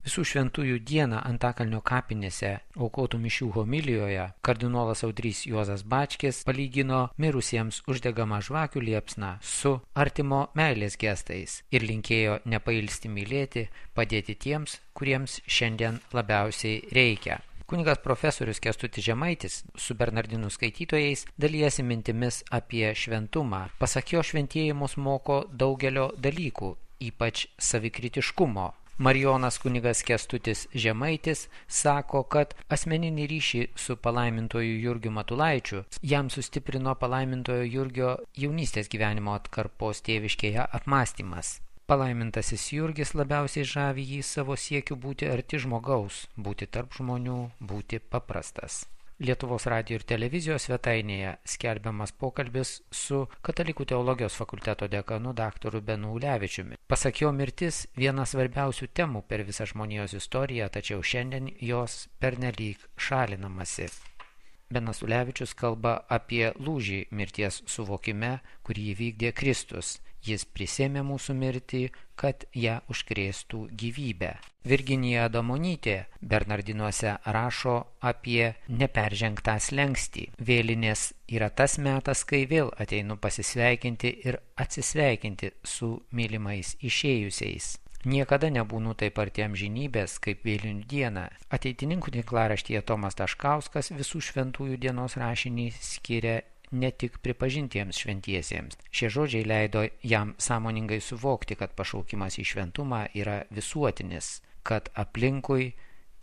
Visų šventųjų dieną Antakalnio kapinėse aukotų mišių homilijoje kardinolas Audrys Juozas Bačkis palygino mirusiems uždegamą žvakių liepsną su artimo meilės gestais ir linkėjo nepailsti mylėti, padėti tiems, kuriems šiandien labiausiai reikia. Kunigas profesorius Kęstutis Žemaitis su Bernardinų skaitytojais dalijasi mintimis apie šventumą. Pasak jo, šventieji mus moko daugelio dalykų, ypač savikritiškumo. Marijonas kunigas Kęstutis Žemaitis sako, kad asmeninį ryšį su palaimintoju Jurgiu Matulaičiu jam sustiprino palaimintojo Jurgio jaunystės gyvenimo atkarpos tėviškėje apmąstymas. Palaimintasis Jurgis labiausiai žavi jį savo siekiu būti arti žmogaus, būti tarp žmonių, būti paprastas. Lietuvos radijo ir televizijos svetainėje skelbiamas pokalbis su Katalikų teologijos fakulteto dekanu daktaru Benu Ulevičiumi. Pasak jo, mirtis viena svarbiausių temų per visą žmonijos istoriją, tačiau šiandien jos pernelyg šalinamasi. Benas Ulevičius kalba apie lūžį mirties suvokime, kurį įvykdė Kristus. Jis prisėmė mūsų mirtį, kad ją užkrėstų gyvybę. Virginija Adamonytė Bernardinuose rašo apie neperžengtą slenkstį. Vėlinės yra tas metas, kai vėl ateinu pasisveikinti ir atsisveikinti su mylimais išėjusiais. Niekada nebūnu taip arti amžinybės, kaip vėlinių dieną. Ateitininkų tinklaraštyje Tomas Taškauskas visų šventųjų dienos rašinį skiria ne tik pripažintiems šventiesiems. Šie žodžiai leido jam sąmoningai suvokti, kad pašaukimas į šventumą yra visuotinis, kad aplinkui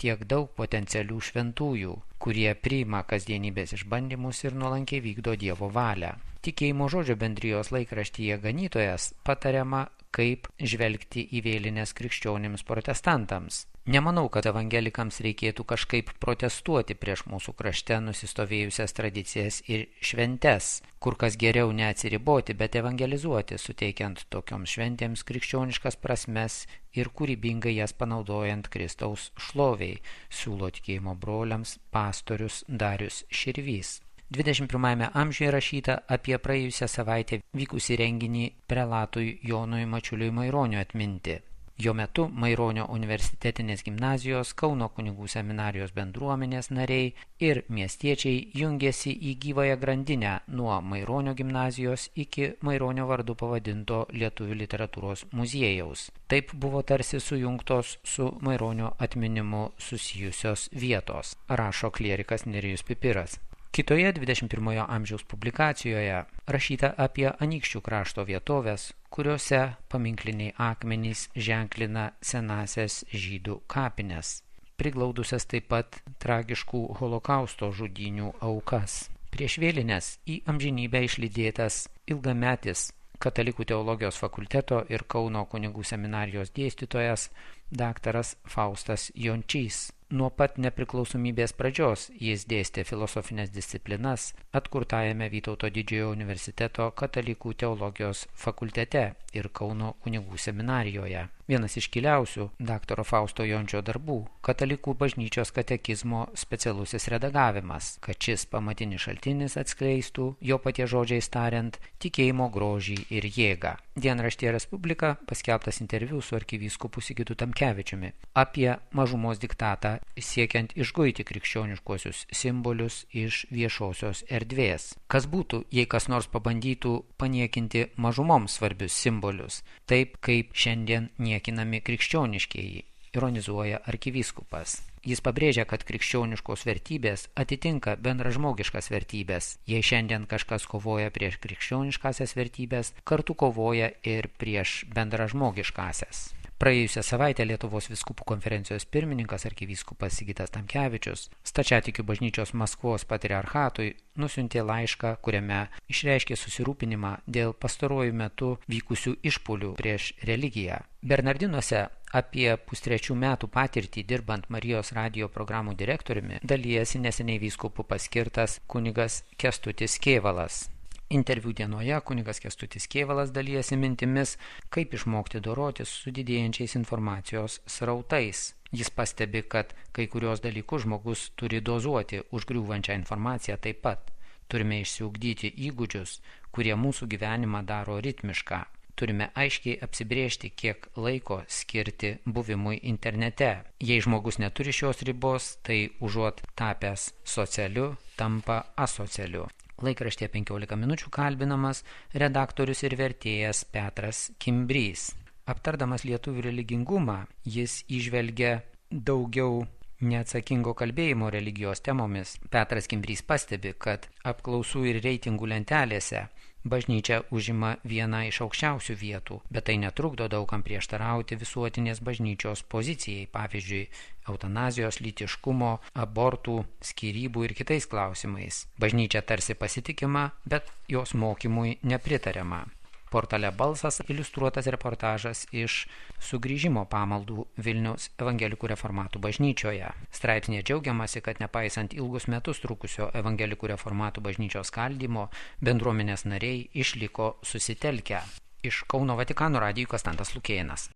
tiek daug potencialių šventųjų, kurie priima kasdienybės išbandymus ir nuolankiai vykdo Dievo valią. Tikėjimo žodžio bendrijos laikraštyje Ganytojas patariama, kaip žvelgti į vėlines krikščionims protestantams. Nemanau, kad evangelikams reikėtų kažkaip protestuoti prieš mūsų krašte nusistovėjusias tradicijas ir šventes, kur kas geriau neatsiriboti, bet evangelizuoti, suteikiant tokioms šventėms krikščioniškas prasmes ir kūrybingai jas panaudojant Kristaus šloviai, siūlo tikėjimo broliams pastorius Darius Širvys. 21 amžiuje rašyta apie praėjusią savaitę vykusį renginį prelatui Jonui Mačiuliui Maironiui atminti. Jo metu Maironio universitetinės gimnazijos, Kauno kunigų seminarijos bendruomenės nariai ir miestiečiai jungėsi į gyvąją grandinę nuo Maironio gimnazijos iki Maironio vardu pavadinto Lietuvių literatūros muziejaus. Taip buvo tarsi sujungtos su Maironio atminimu susijusios vietos, rašo klierikas Nerijus Pipiras. Kitoje 21 amžiaus publikacijoje rašyta apie Anykščių krašto vietovės, kuriuose paminkliniai akmenys ženklina senąsias žydų kapines, priglaudusias taip pat tragiškų holokausto žudynių aukas. Prieš vėlines į amžinybę išlydėtas ilgametis Katalikų teologijos fakulteto ir Kauno kunigų seminarijos dėstytojas daktaras Faustas Jončys. Nuo pat nepriklausomybės pradžios jis dėstė filosofinės disciplinas atkurtajame Vytauto didžiojo universiteto Katalikų teologijos fakultete ir Kauno kunigų seminarijoje. Vienas iškiliausių daktaro Fausto Jončio darbų – Katalikų bažnyčios katekizmo specialusis redagavimas, kad šis pamatinis šaltinis atskleistų, jo paties žodžiais tariant, tikėjimo grožį ir jėgą. Dienraštyje Respublika paskelbtas interviu su arkivyskupu Sigitu Tamkevičiumi apie mažumos diktatą siekiant išguiti krikščioniškuosius simbolius iš viešosios erdvės. Kas būtų, jei kas nors pabandytų paniekinti mažumoms svarbius simbolius, taip kaip šiandien niekinami krikščioniškieji, ironizuoja arkivyskupas. Jis pabrėžia, kad krikščioniškos vertybės atitinka bendražmogiškas vertybės. Jei šiandien kažkas kovoja prieš krikščioniškasias vertybės, kartu kovoja ir prieš bendražmogiškasias. Praėjusią savaitę Lietuvos vyskupų konferencijos pirmininkas arkivyskupas Sigitas Tamkevičius Stačiatikių bažnyčios Maskvos patriarchatui nusiuntė laišką, kuriame išreiškė susirūpinimą dėl pastaruoju metu vykusių išpuolių prieš religiją. Bernardinuose apie pustrečių metų patirtį dirbant Marijos radijo programų direktoriumi dalijasi neseniai vyskupų paskirtas kunigas Kęstutis Kėvalas. Interviu dienoje kunigas Kęstutis Kėvalas dalijasi mintimis, kaip išmokti dorotis su didėjančiais informacijos srautais. Jis pastebi, kad kai kurios dalykus žmogus turi dozuoti užgriūvančią informaciją taip pat. Turime išsiugdyti įgūdžius, kurie mūsų gyvenimą daro ritmišką. turime aiškiai apsibrėžti, kiek laiko skirti buvimui internete. Jei žmogus neturi šios ribos, tai užuot tapęs socialiu, tampa asocialiu. Laikraštyje 15 minučių kalbinamas redaktorius ir vertėjas Petras Kimbrys. Aptardamas lietuvių religingumą, jis įžvelgia daugiau neatsakingo kalbėjimo religijos temomis. Petras Kimbrys pastebi, kad apklausų ir reitingų lentelėse bažnyčia užima vieną iš aukščiausių vietų, bet tai netrukdo daugam prieštarauti visuotinės bažnyčios pozicijai, pavyzdžiui, eutanazijos, lytiškumo, abortų, skyrybų ir kitais klausimais. Bažnyčia tarsi pasitikima, bet jos mokymui nepritariama. Portale Balsas iliustruotas reportažas iš sugrįžimo pamaldų Vilniaus evangelikų reformatų bažnyčioje. Straipsnėje džiaugiamasi, kad nepaisant ilgus metus trukusio evangelikų reformatų bažnyčios skaldymo, bendruomenės nariai išliko susitelkę. Iš Kauno Vatikano radijo Konstantas Lukėnas.